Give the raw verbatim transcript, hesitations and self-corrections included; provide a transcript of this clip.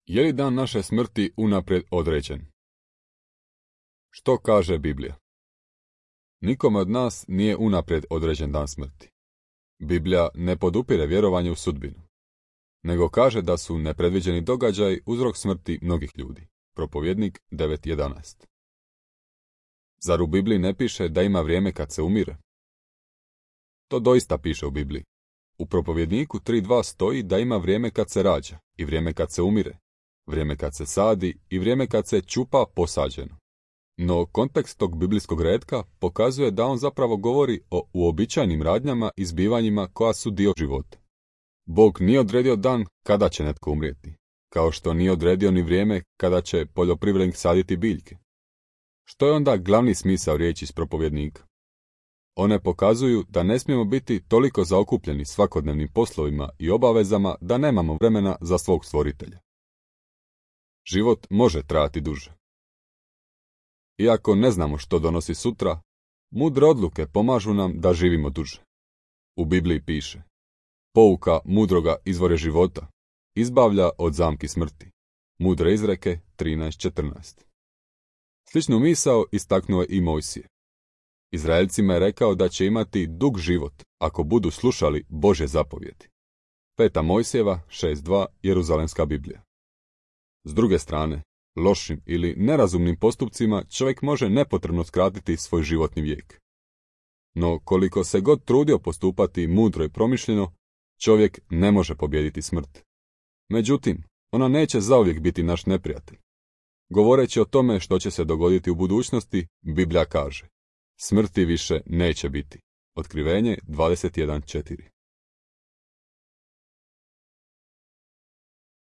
Je li dan naše smrti unaprijed određen? Što kaže Biblija? Nikome od nas nije unaprijed određen dan smrti. Biblija ne podupire vjerovanje u sudbinu, nego kaže da su nepredviđeni događaji uzrok smrti mnogih ljudi. Propovjednik devet jedanaest. Zar u Bibliji ne piše da ima vrijeme kad se umire? To doista piše u Bibliji. U Propovjedniku tri dva stoji da ima vrijeme kad se rađa i vrijeme kad se umire, vrijeme kad se sadi i vrijeme kad se čupa posađeno. No kontekst tog biblijskog retka pokazuje da on zapravo govori o uobičajenim radnjama i zbivanjima koja su dio života. Bog nije odredio dan kada će netko umrijeti, kao što nije odredio ni vrijeme kada će poljoprivrednik saditi biljke. Što je onda glavni smisao riječi iz Propovjednika? One pokazuju da ne smijemo biti toliko zaokupljeni svakodnevnim poslovima i obavezama da nemamo vremena za svog stvoritelja. Život može trajati duže. Iako ne znamo što donosi sutra, mudre odluke pomažu nam da živimo duže. U Bibliji piše: pouka mudroga izvore života, izbavlja od zamki smrti. Mudre izreke trinaest četrnaest. Sličnu misao istaknuo je i Mojsije. Izraelcima je rekao da će imati dug život ako budu slušali Božje zapovjedi. Peta Mojsijeva šest dva, Jeruzalemska Biblija. S druge strane, lošim ili nerazumnim postupcima čovjek može nepotrebno skratiti svoj životni vijek. No koliko se god trudio postupati mudro i promišljeno, čovjek ne može pobijediti smrt. Međutim, ona neće zauvijek biti naš neprijatelj. Govoreći o tome što će se dogoditi u budućnosti, Biblija kaže: smrti više neće biti. Otkrivenje dvadeset jedan četiri.